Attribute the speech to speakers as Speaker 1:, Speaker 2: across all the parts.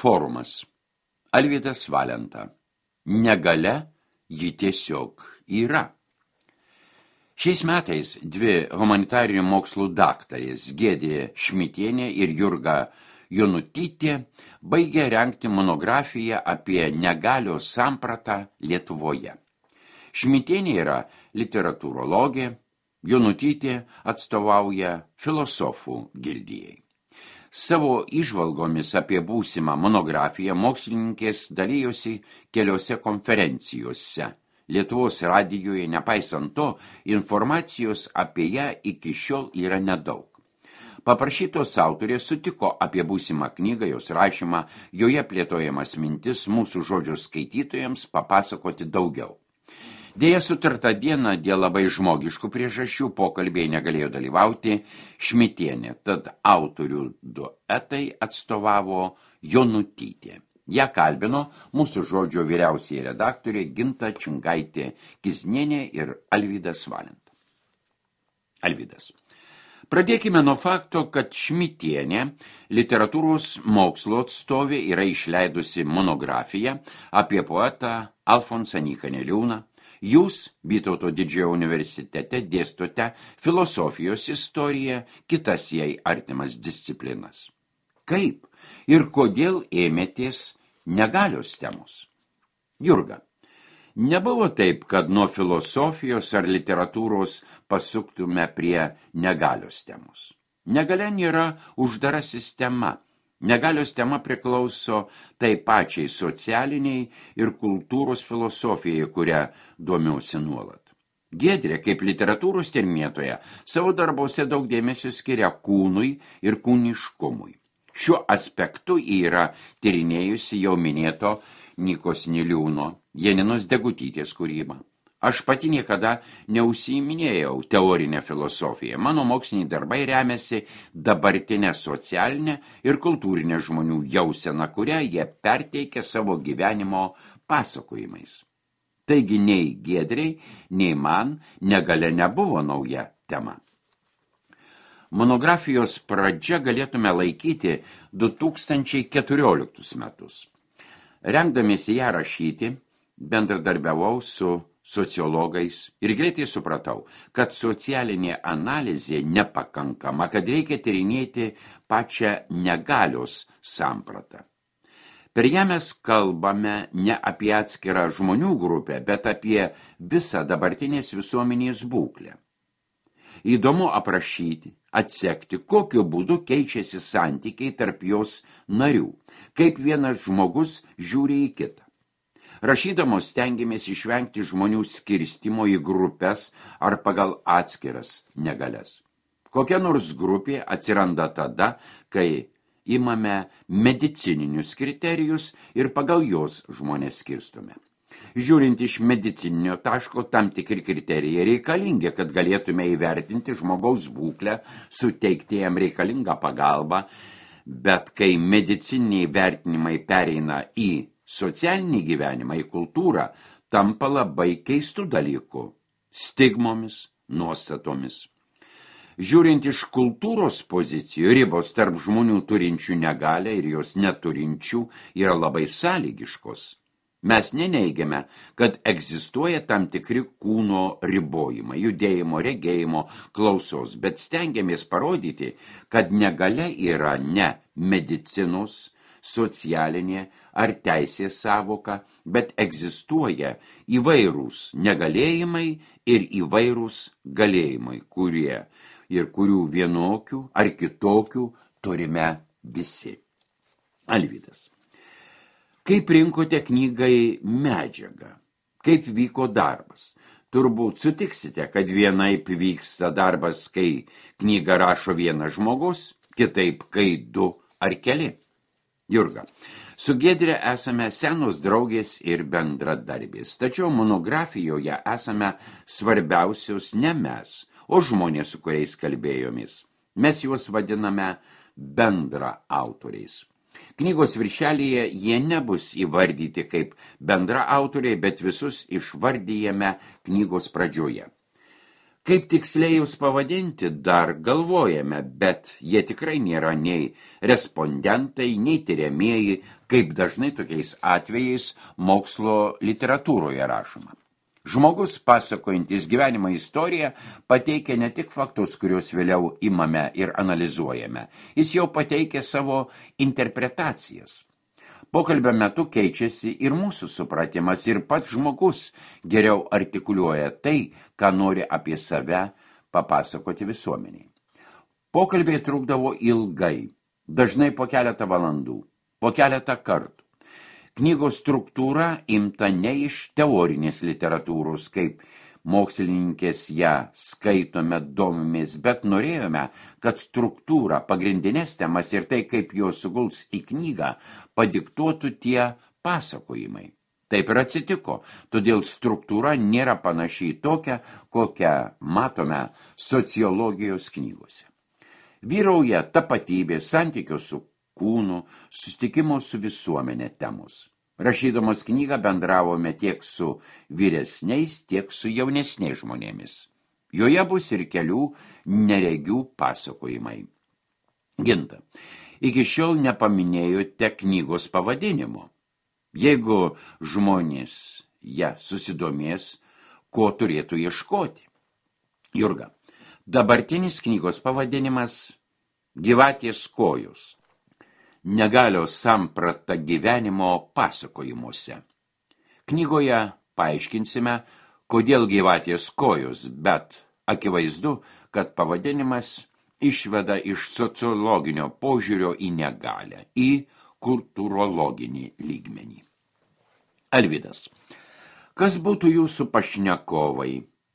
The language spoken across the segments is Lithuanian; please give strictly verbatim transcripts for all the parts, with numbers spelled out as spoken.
Speaker 1: Forumas. Alvydas Valenta. Negalia ji tiesiog yra. Šiais metais dvi humanitarinių mokslų daktarės Giedrė Šmitienė ir Jurga Jonutytė baigė rengti monografiją apie negalios sampratą Lietuvoje. Šmitienė yra literatūrologė, Jonutytė atstovauja filosofų gildijai. Savo įžvalgomis apie būsimą monografiją mokslininkės dalyjosi keliose konferencijose. Lietuvos radijoje, nepaisant to, informacijos apie ją iki šiol yra nedaug. Paprašytos autorės sutiko apie būsimą knygą, jos rašymą, joje plėtojamas mintis mūsų žodžio skaitytojams papasakoti daugiau. Deja, sutartą dieną dėl labai žmogiškų priežasčių pokalbiai negalėjo dalyvauti Šmitienė, tad autorių duetai atstovavo Jonutytė. Ją kalbino mūsų žodžio vyriausiai redaktorė Ginta Čingaitė Kiznienė ir Alvydas Valenta. Alvydas. Pradėkime nuo fakto, kad Šmitienė, literatūros mokslo atstovė, yra išleidusi monografiją apie poetą Alfonsą Nyką Niliūną. Jūs, Vytauto didžiojo universitete, dėstote filosofijos istoriją, kitas jai artimas disciplinas. Kaip ir kodėl ėmėtės negalios temos? Jurga, nebuvo taip, kad nuo filosofijos ar literatūros pasuktume prie negalios temos. Negalia nėra uždara sistema. Negalios tema priklauso tai pačiai socialiniai ir kultūros filosofijai, kurią domiuosi nuolat. Giedrė, kaip literatūros tyrinėtoja, savo darbuose daug dėmesio skiria kūnui ir kūniškumui. Šiuo aspektu yra tyrinėjusi jau minėto Nykos Niliūno, Janinos Degutytės kūrybą. Aš pati niekada neužsiiminėjau teorinę filosofiją. Mano moksliniai darbai remiasi dabartinę socialinę ir kultūrinę žmonių jauseną, kurią jie perteikia savo gyvenimo pasakojimais. Taigi nei Giedrei, nei man negalia nebuvo nauja tema. Monografijos pradžia galėtume laikyti du tūkstančiai keturioliktus metus. Rengdamiesi ją rašyti, bendradarbiavau su sociologais ir greitai supratau, kad socialinė analizė nepakankama, kad reikia tyrinėti pačią negalios sampratą. Per ją mes kalbame ne apie atskirą žmonių grupę, bet apie visą dabartinės visuomenės būklę. Įdomu aprašyti, atsekti, kokiu būdu keičiasi santykiai tarp jos narių, kaip vienas žmogus žiūri į kitą. Rašydamos stengiamės išvengti žmonių skirstimo į grupės ar pagal atskiras negalias. Kokia nors grupė atsiranda tada, kai imame medicininius kriterijus ir pagal jos žmonės skirstome. Žiūrint iš medicininio taško, tam tikri kriterijai reikalingi, kad galėtume įvertinti žmogaus būklę, suteikti jam reikalingą pagalbą, bet kai medicininiai vertinimai pereina į socialinį gyvenimą, į kultūrą, tampa labai keistų dalykų, stigmomis, nuostatomis. Žiūrint iš kultūros pozicijų, ribos tarp žmonių turinčių negalią ir jos neturinčių yra labai sąlygiškos. Mes neneigiame, kad egzistuoja tam tikri kūno ribojimai, judėjimo, regėjimo, klausos, bet stengiamės parodyti, kad negalia yra ne medicinos, socialinė ar teisės sąvoka, bet egzistuoja įvairūs negalėjimai ir įvairūs galėjimai, kurie ir kurių vienokių ar kitokių turime visi. Alvydas. Kaip rinkote knygai medžiagą? Kaip vyko darbas? Turbūt sutiksite, kad vienaip vyksta darbas, kai knygą rašo vienas žmogus, kitaip, kai du ar keli. Jurga, su Giedre esame senos draugės ir bendradarbės, tačiau monografijoje esame svarbiausios ne mes, o žmonės, su kuriais kalbėjomis. Mes juos vadiname bendra autoriais. Knygos viršelyje jie nebus įvardyti kaip bendra autoriai, bet visus išvardyjame knygos pradžioje. Kaip tiksliai jūs pavadinti, dar galvojame, bet jie tikrai nėra nei respondentai, nei tyriamieji, kaip dažnai tokiais atvejais mokslo literatūroje rašoma. Žmogus, pasakojantis gyvenimo istoriją, pateikia ne tik faktus, kuriuos vėliau imame ir analizuojame, jis jau pateikia savo interpretacijas. Pokalbio metu keičiasi ir mūsų supratimas, ir pats žmogus geriau artikuliuoja tai, ką nori apie save papasakoti visuomeniai. Pokalbiai trukdavo ilgai, dažnai po keletą valandų, po keletą kartų. Knygos struktūra imta ne iš teorinės literatūros, kaip mokslininkės ją skaitome, domimės, bet norėjome, kad struktūra, pagrindinės temas ir tai, kaip jos suguls į knygą, padiktuotų tie pasakojimai. Taip ir atsitiko, todėl struktūra nėra panašiai tokia, kokią matome sociologijos knygose. Vyrauja tapatybė, santykio su kūnų, susitikimo su visuomenė temos. Rašydamos knygą bendravome tiek su vyresniais, tiek su jaunesniais žmonėmis. Joje bus ir kelių neregių pasakojimai. Ginta, iki šiol nepaminėjote knygos pavadinimo. Jeigu žmonės ją susidomės, ko turėtų ieškoti? Jurga, dabartinis knygos pavadinimas Gyvatės kojos. Negalios samprata gyvenimo pasakojimuose. Knygoje paaiškinsime, kodėl gyvatės kojos, bet akivaizdu, kad pavadinimas išveda iš sociologinio požiūrio į negalią, į kultūrologinį lygmenį. Alvydas, kas būtų jūsų pašnekovai?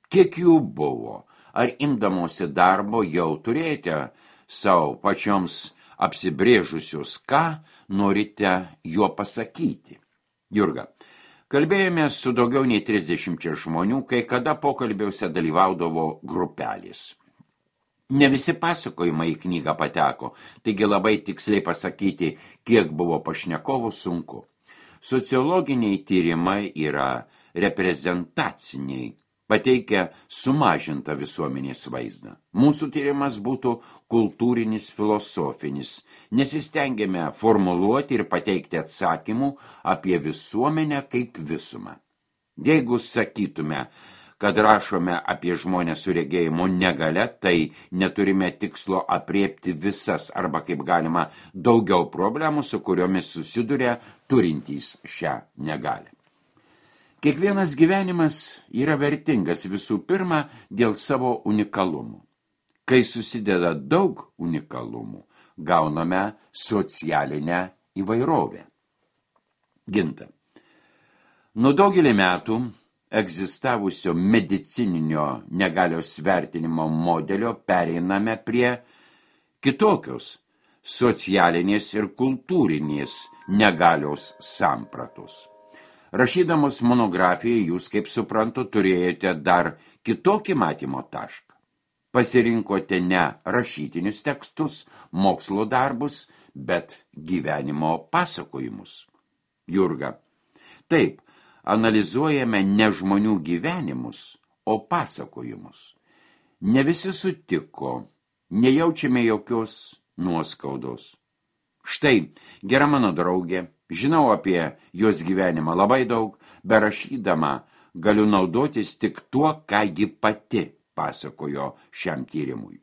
Speaker 1: Kiek jų buvo? Ar imdamosi darbo jau turėjote savo pačioms apsibrėžusius, ką norite juo pasakyti? Jurga, kalbėjome su daugiau nei trisdešimčia žmonių, kai kada pokalbiuose dalyvaudavo grupelės. Ne visi pasakojimai į knygą pateko, taigi labai tiksliai pasakyti, kiek buvo pašnekovų, sunku. Sociologiniai tyrimai yra reprezentaciniai, pateikia sumažintą visuomenės vaizdą. Mūsų tyrimas būtų kultūrinis, filosofinis. Nesistengėme formuluoti ir pateikti atsakymų apie visuomenę kaip visumą. Jeigu sakytume, kad rašome apie žmonės su regėjimo negalia, tai neturime tikslo apriepti visas arba kaip galima daugiau problemų, su kuriomis susiduria turintys šią negalią. Kiekvienas gyvenimas yra vertingas visų pirma dėl savo unikalumų. Kai susideda daug unikalumų, gauname socialinę įvairovę. Ginta. Nuo daugelį metų egzistavusio medicininio negalios vertinimo modelio pereiname prie kitokios socialinės ir kultūrinės negalios sampratos. Rašydamos monografiją, jūs, kaip suprantu, turėjote dar kitokį matymo tašką. Pasirinkote ne rašytinius tekstus, mokslo darbus, bet gyvenimo pasakojimus. Jurga, taip, analizuojame ne žmonių gyvenimus, o pasakojimus. Ne visi sutiko, nejaučiame jokios nuoskaudos. Štai, gera mano draugė, žinau apie jos gyvenimą labai daug, berašydama galiu naudotis tik tuo, ką ji pati pasakojo šiam tyrimui.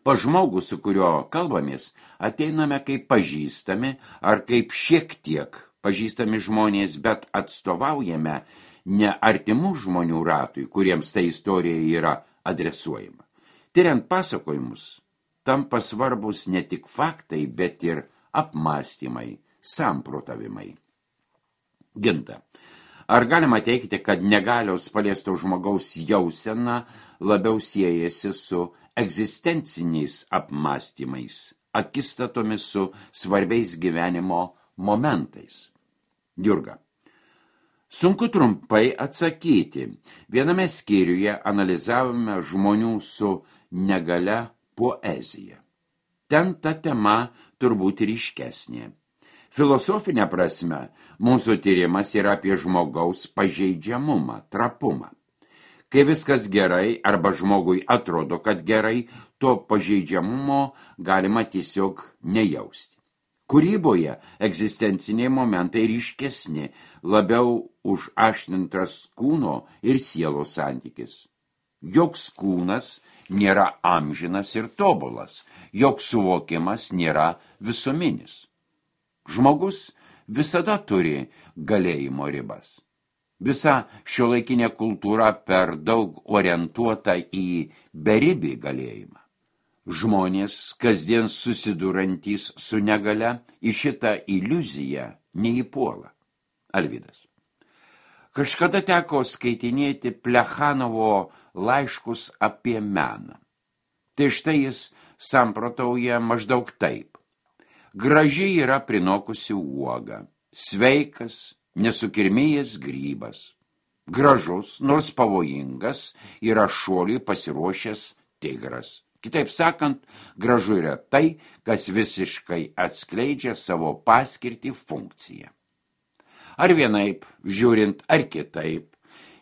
Speaker 1: Pa žmogų, su kurio kalbamės, ateiname kaip pažįstami ar kaip šiek tiek pažįstami žmonės, bet atstovaujame ne artimų žmonių ratui, kuriems ta istorija yra adresuojama. Tyriant pasakojimus, tampa svarbus ne tik faktai, bet ir apmąstymai, samprotavimai. Ginta, ar galima teikti, kad negalios paliesto žmogaus jausena labiau siejasi su egzistenciniais apmąstymais, akistatomis su svarbiais gyvenimo momentais? Jurga, sunku trumpai atsakyti. Viename skyriuje analizavome žmonių su negalia poeziją. Ten ta tema turbūt ryškesnė. Filosofinė prasme, mūsų tyrimas yra apie žmogaus pažeidžiamumą, trapumą. Kai viskas gerai arba žmogui atrodo, kad gerai, to pažeidžiamumo galima tiesiog nejausti. Kūryboje egzistenciniai momentai ryškesni, labiau užaštrintas kūno ir sielos santykis. Joks kūnas nėra amžinas ir tobulas, joks suvokimas nėra visuminis. Žmogus visada turi galėjimo ribas. Visa šiuolaikinė kultūra per daug orientuota į beribį galėjimą. Žmonės, kasdien susidurantys su negale, į šitą iliuziją neįpuola. Alvydas. Kažkada teko skaitinėti Plechanovo laiškus apie meną. Tai štai jis samprotauja maždaug taip. Graži yra prinokusi uoga, sveikas, nesukirmėjęs grybas. Gražus, nors pavojingas, yra šuoliui pasiruošęs tigras. Kitaip sakant, gražu yra tai, kas visiškai atskleidžia savo paskirtį funkciją. Ar vienaip, žiūrint, ar kitaip,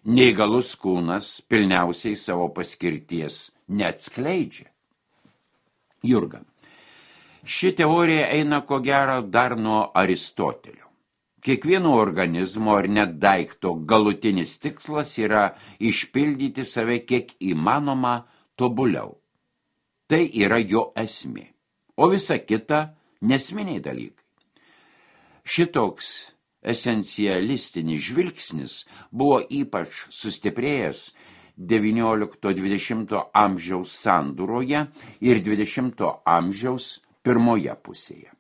Speaker 1: neįgalus kūnas pilniausiai savo paskirties neatskleidžia. Jurga. Ši teorija eina ko gero dar nuo Aristotelio. Kiekvieno organizmo ar net daikto galutinis tikslas yra išpildyti save kiek įmanoma tobuliau. Tai yra jo esmė, o visa kita nesminiai dalykai. Šitoks esencialistinis žvilgsnis buvo ypač sustiprėjęs devyniolikto dvidešimto amžiaus sandūroje ir dvidešimto amžiaus pirmoje pusėje.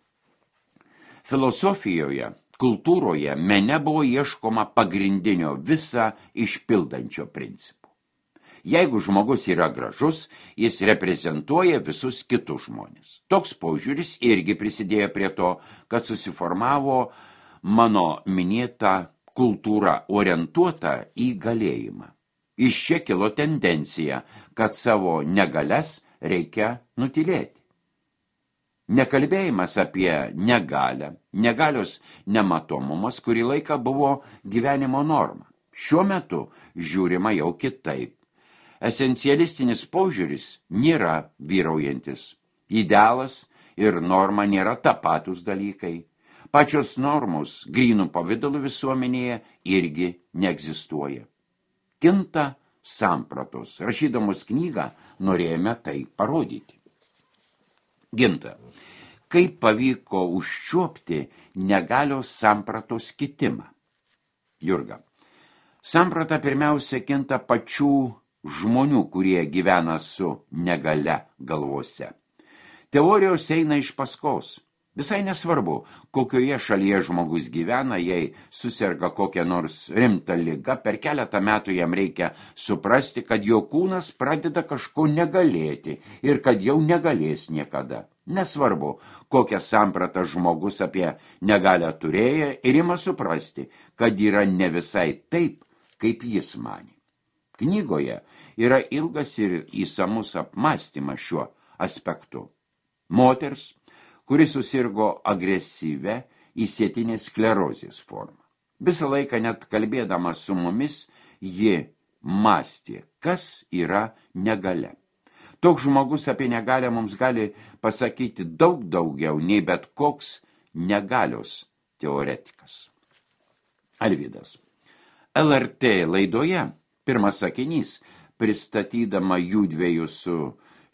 Speaker 1: Filosofijoje, kultūroje, mene buvo ieškoma pagrindinio visą išpildančio principo. Jeigu žmogus yra gražus, jis reprezentuoja visus kitus žmonės. Toks požiūris irgi prisidėjo prie to, kad susiformavo mano minėta kultūra orientuota į galėjimą. Iš čia kilo tendencija, kad savo negalias reikia nutilėti. Nekalbėjimas apie negalę, negalios nematomumas kurį laiką buvo gyvenimo norma. Šiuo metu žiūrima jau kitaip. Esencialistinis požiūris nėra vyraujantis. Idealas ir norma nėra tapatus dalykai. Pačios normos grynų pavidalų visuomenėje irgi neegzistuoja. Kinta sampratos. Rašydamos knygą norėjome tai parodyti. Ginta. Kaip pavyko užčiuopti negalios sampratos kitimą? Jurga. Samprata pirmiausia kinta pačių žmonių, kurie gyvena su negale galvose. Teorijos eina iš paskos. Visai nesvarbu, kokioje šalyje žmogus gyvena, jei suserga kokią nors rimtą ligą, per keletą metų jam reikia suprasti, kad jo kūnas pradeda kažko negalėti ir kad jau negalės niekada. Nesvarbu, kokią sampratą žmogus apie negalę turėjo ir ima suprasti, kad yra ne visai taip, kaip jis manė. Knygoje yra ilgas ir įsamus apmąstymas šiuo aspektu. Moters, kuri susirgo agresyvę įsėtinės sklerozės formą. Visą laiką net kalbėdama su mumis, ji mąstė, kas yra negalia. Toks žmogus apie negalę mums gali pasakyti daug daugiau nei bet koks negalios teoretikas. Alvydas. L R T laidoje pirmas sakinys, pristatydama jųdviejų su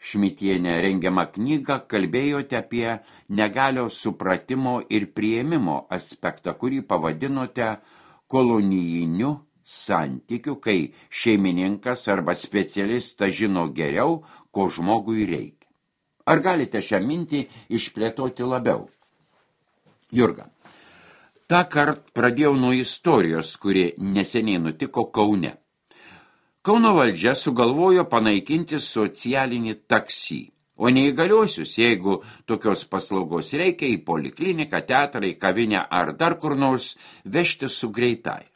Speaker 1: Šmitienė rengiamą knygą, kalbėjote apie negalios supratimo ir priėmimo aspektą, kurį pavadinote kolonijiniu santykiu, kai šeimininkas arba specialistas žino geriau, ko žmogui reikia. Ar galite šią mintį išplėtoti labiau? Jurga. Ta kart pradėjau nuo istorijos, kuri neseniai nutiko Kaune. Kauno valdžia sugalvojo panaikinti socialinį taksi, o neįgaliuosius, jeigu tokios paslaugos reikia, į polikliniką, teatrą, į kavinę ar dar kur nors vežti su greitaja.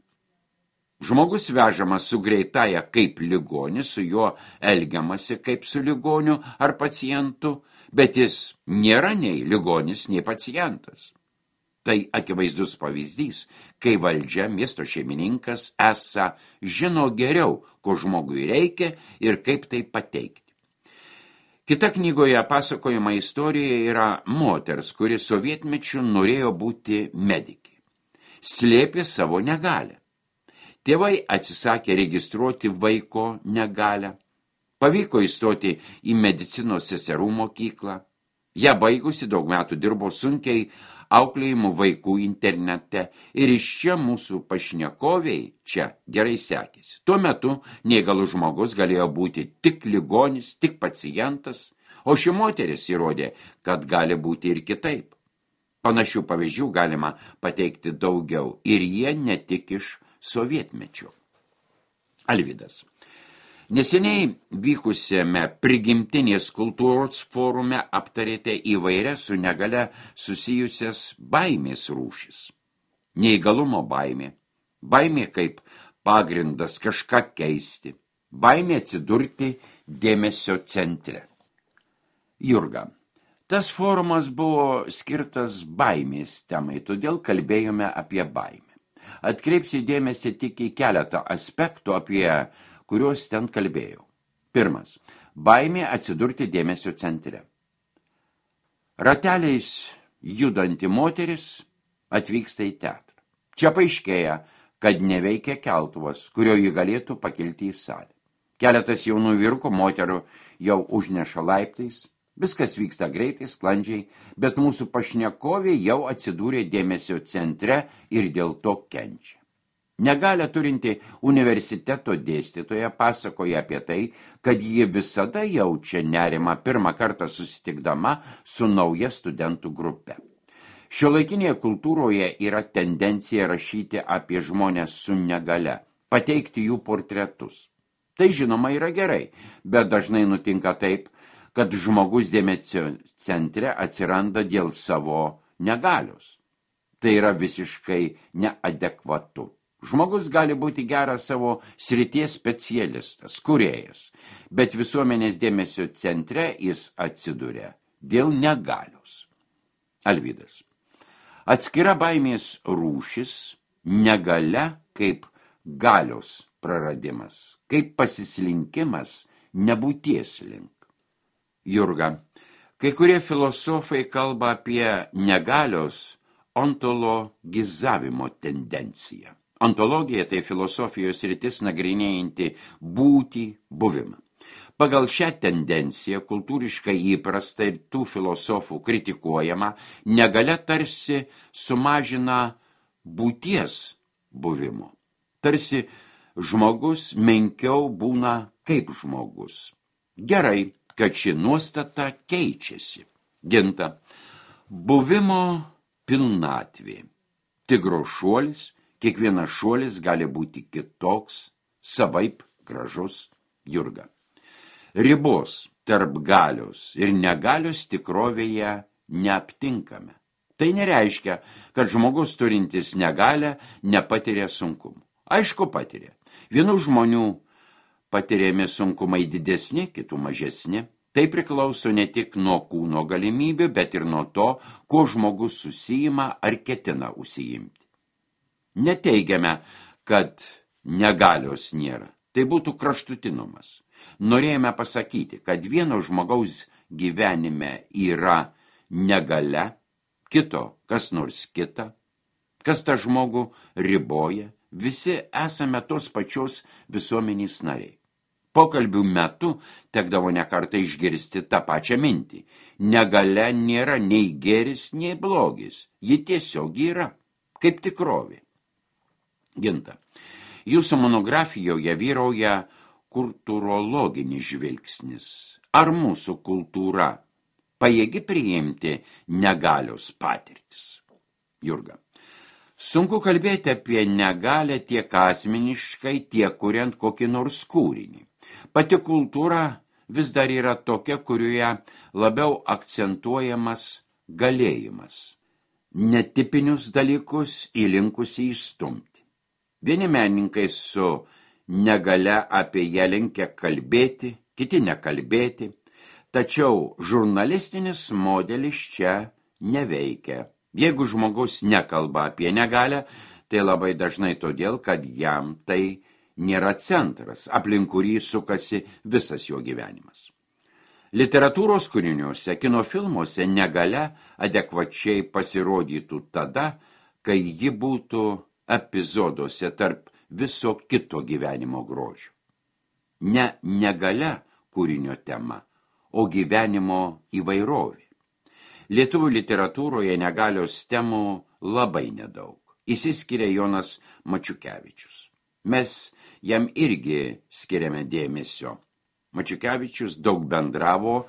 Speaker 1: Žmogus vežamas su greitaja kaip ligonis, su juo elgiamasi kaip su ligoniu ar pacientu, bet jis nėra nei ligonis, nei pacientas. Tai akivaizdus pavyzdys, kai valdžia, miesto šeimininkas esą žino geriau, ko žmogui reikia ir kaip tai pateikti. Kita knygoje pasakojama istorija yra moters, kuri sovietmečiu norėjo būti medikė. Slėpė savo negalę. Tėvai atsisakė registruoti vaiko negalę. Pavyko įstoti į medicinos seserų mokyklą. Ja baigusi daug metų dirbo sunkiai auklėjimų vaikų internete ir iš čia mūsų pašnekoviai čia gerai sekėsi. Tuo metu neįgalus žmogus galėjo būti tik ligonis, tik pacientas, o ši moteris įrodė, kad gali būti ir kitaip. Panašių pavyzdžių galima pateikti daugiau ir jie ne tik iš sovietmečio. Alvydas. Neseniai vykusiame prigimtinės kultūros forume aptarėte įvairias su negale susijusias baimės rūšis. Neįgalumo baimė, baimė kaip pagrindas kažką keisti, baimė atsidurti dėmesio centre. Jurga, tas forumas buvo skirtas baimės temai, todėl kalbėjome apie baimę. Atkreipsiu dėmesį tik į keletą aspektų, apie kuriuos ten kalbėjau. Pirmas. Baimė atsidurti dėmesio centre. Rateliais judanti moteris atvyksta į teatrą. Čia paaiškėja, kad neveikia keltuvas, kurio ji galėtų pakilti į salę. Keletas jaunų vyrukų moterų jau užneša laiptais. Viskas vyksta greitai, sklandžiai, bet mūsų pašnekovė jau atsidūrė dėmesio centre ir dėl to kenčia. Negalią turinti universiteto dėstytoja pasakoja apie tai, kad ji visada jaučia nerimą pirmą kartą susitikdama su nauja studentų grupe. Šiuolaikinėje kultūroje yra tendencija rašyti apie žmonės su negale, pateikti jų portretus. Tai žinoma yra gerai, bet dažnai nutinka taip, kad žmogus dėmesio centre atsiranda dėl savo negalios. Tai yra visiškai neadekvatu. Žmogus gali būti geras savo srities specialistas, kūrėjas, bet visuomenės dėmesio centre jis atsiduria dėl negalios. Alvydas. Atskira baimės rūšis, negalia kaip galios praradimas, kaip pasislinkimas nebūties link. Jurga. Kai kurie filosofai kalba apie negalios ontologizavimo tendenciją. Ontologija tai filosofijos sritis nagrinėjanti būtį, buvimą. Pagal šią tendenciją, kultūriškai įprasta ir tų filosofų kritikuojama, negalia tarsi sumažina būties buvimo. Tarsi žmogus menkiau būna kaip žmogus. Gerai, kad ši nuostata keičiasi. Ginta. Buvimo pilnatvė. Tigro šuolis. Kiekvienas šuolis gali būti kitoks, savaip gražus. Jurga. Ribos tarp galios ir negalios tikrovėje neaptinkame. Tai nereiškia, kad žmogus turintis negalę nepatiria sunkumų. Aišku, patiria. Vienų žmonių patiriami sunkumai didesni, kitų mažesni. Tai priklauso ne tik nuo kūno galimybių, bet ir nuo to, kuo žmogus susijima ar ketina užsiimti. Neteigiame, kad negalios nėra. Tai būtų kraštutinumas. Norėjome pasakyti, kad vieno žmogaus gyvenime yra negalia, kito kas nors kita, kas tą žmogų riboja, visi esame tos pačios visuomenės nariai. Pokalbių metu tekdavo nekartą išgirsti tą pačią mintį. Negalia nėra nei gėris, nei blogis. Ji tiesiog yra, kaip tikrovė. Ginta. Jūsų monografijoje vyrauja kultūrologinis žvilgsnis. Ar mūsų kultūra pajėgi priimti negalios patirtis? Jurga. Sunku kalbėti apie negalę tiek asmeniškai, tiek kuriant kokį nors kūrinį. Pati kultūra vis dar yra tokia, kurioje labiau akcentuojamas galėjimas. Netipinius dalykus įlinkusi įstumti. Vieni menininkai su negalia apie ją linkę kalbėti, kiti nekalbėti, tačiau žurnalistinis modelis čia neveikia. Jeigu žmogus nekalba apie negalią, tai labai dažnai todėl, kad jam tai nėra centras, aplink kurį sukasi visas jo gyvenimas. Literatūros kūriniuose, kino filmuose negalia adekvačiai pasirodytų tada, kai ji būtų epizoduose tarp viso kito gyvenimo grožio. Ne negalia kūrinio tema, o gyvenimo įvairovė. Lietuvių literatūroje negalios temų labai nedaug. Išsiskiria Jonas Mačiukevičius. Mes jam irgi skiriame dėmesio. Mačiukevičius daug bendravo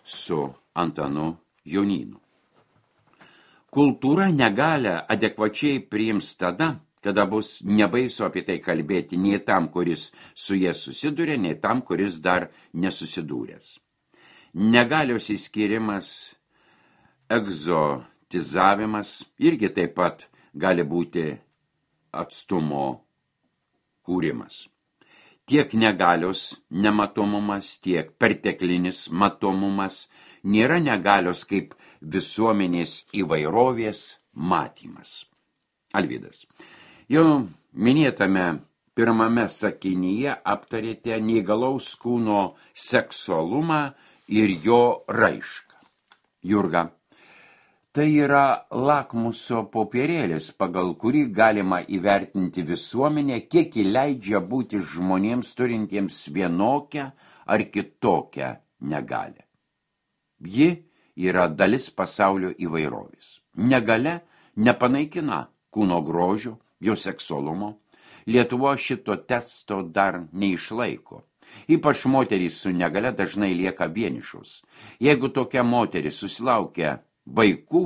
Speaker 1: su Antanu Jonynu. Kultūra negalią adekvačiai priims tada, kada bus nebaisu apie tai kalbėti nei tam, kuris su jie susiduria, nei tam, kuris dar nesusidūręs. Negalios įskirimas, egzotizavimas irgi taip pat gali būti atstumo kūrimas. Tiek negalios nematomumas, tiek perteklinis matomumas nėra negalios kaip visuomenės įvairovės matymas. Alvydas, jau minėtame pirmame sakinyje aptarėte neįgalaus kūno seksualumą ir jo raišką. Jurga, tai yra lakmuso popierėlis, pagal kurį galima įvertinti visuomenę, kiek įleidžia būti žmonėms turintiems vienokią ar kitokią negalią. Ji yra dalis pasaulio įvairovės. Negalia nepanaikina kūno grožio, jo seksualumo. Lietuva šito testo dar neišlaiko. Ypač moterys su negalia dažnai lieka vienišos. Jeigu tokia moteris susilaukia vaikų,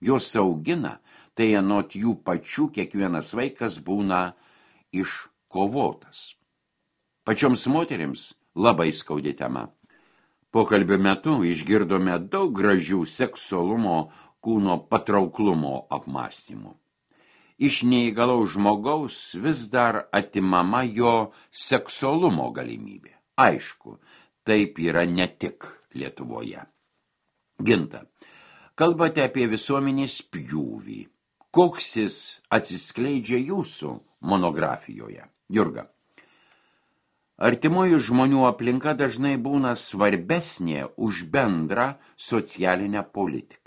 Speaker 1: jos augina, tai anot jų pačių kiekvienas vaikas būna iškovotas. Pačioms moterims labai skaudi tema. Pokalbio metu išgirdome daug gražių seksualumo, kūno patrauklumo apmąstymų. Iš neįgalaus žmogaus vis dar atimama jo seksualumo galimybė. Aišku, taip yra ne tik Lietuvoje. Ginta, kalbate apie visuomenės pjūvį. Koks jis atsiskleidžia jūsų monografijoje? Jurga, artimųjų žmonių aplinka dažnai būna svarbesnė už bendrą socialinę politiką.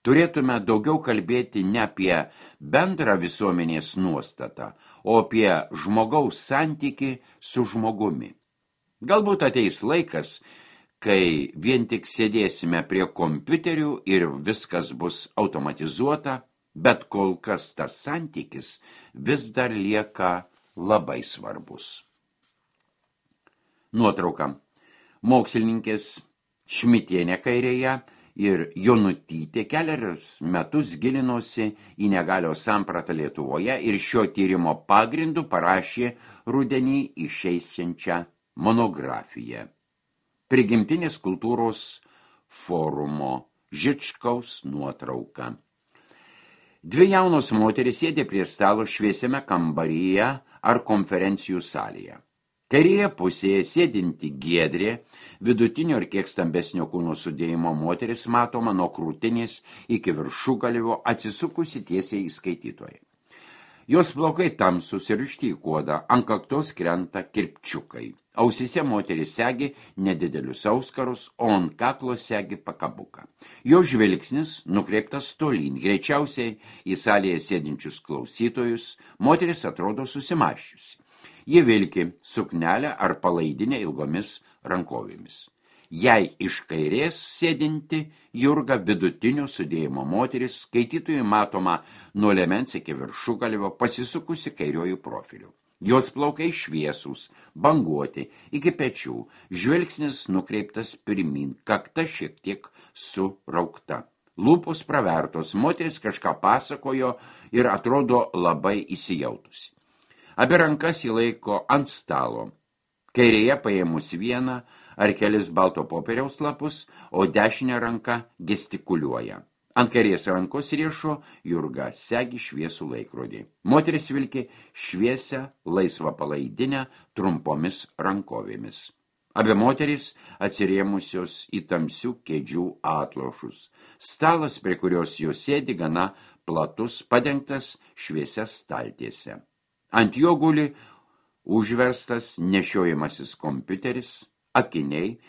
Speaker 1: Turėtume daugiau kalbėti ne apie bendrą visuomenės nuostatą, o apie žmogaus santykį su žmogumi. Galbūt ateis laikas, kai vien tik sėdėsime prie kompiuterių ir viskas bus automatizuota, bet kol kas tas santykis vis dar lieka labai svarbus. Nuotrauka. Mokslininkės Šmitienė kairėje ir Jonutytė kelerius metus gilinosi į negalios sampratą Lietuvoje ir šio tyrimo pagrindu parašė rudenį išeisiančią monografiją. Prigimtinės kultūros forumo Žičkaus nuotrauka. Dvi jaunos moterys sėdė prie stalo šviesiame kambaryje ar konferencijų salėje. Kairėje pusėje sėdinti Giedrė, vidutinio ir kiek stambesnio kūno sudėjimo moteris matoma nuo krūtinės iki viršugalvio atsisukusi tiesiai į skaitytoją. Jos plaukai tamsus ir ištikuoda, ant kaktos krenta kirpčiukai. Ausyse moteris segi nedidelius auskarus, o ant kaklo segi pakabuką. Jo žvilgsnis nukreiptas tolyn, greičiausiai į salėje sėdinčius klausytojus, moteris atrodo susimąsčiusi. Ji vilki suknelę ar palaidinę ilgomis rankovėmis. Jei iš kairės sėdinti Jurga vidutinio sudėjimo moteris, skaitytojui matoma nuo liemens iki viršugalvio pasisukusi kairiojų profiliu. Jos plaukai šviesūs, banguoti, iki pečių, žvilgsnis nukreiptas pirmin, kakta šiek tiek suraukta. Lūpos pravertos, moteris kažką pasakojo ir atrodo labai įsijautusi. Abi rankas įlaiko ant stalo. Kairėje paėmus vieną ar kelis balto popieriaus lapus, o dešinė ranka gestikuliuoja. Ant kairės rankos riešo Jurga segi šviesų laikrodį. Moteris vilki šviesią laisvą palaidinę trumpomis rankovėmis. Abi moterys atsirėmusios į tamsių kėdžių atlošus. Stalas, prie kurios jos sėdi, gana platus, padengtas šviesia staltiese. Ant jo guli užverstas nešiojamasis kompiuteris, akiniai,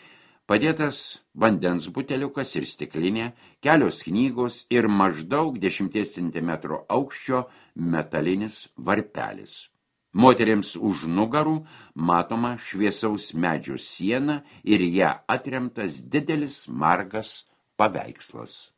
Speaker 1: padėtas vandens buteliukas ir stiklinė, kelios knygos ir maždaug dešimties centimetrų aukščio metalinis varpelis. Moterims už nugarų matoma šviesaus medžio siena ir ją atremtas didelis margas paveikslas.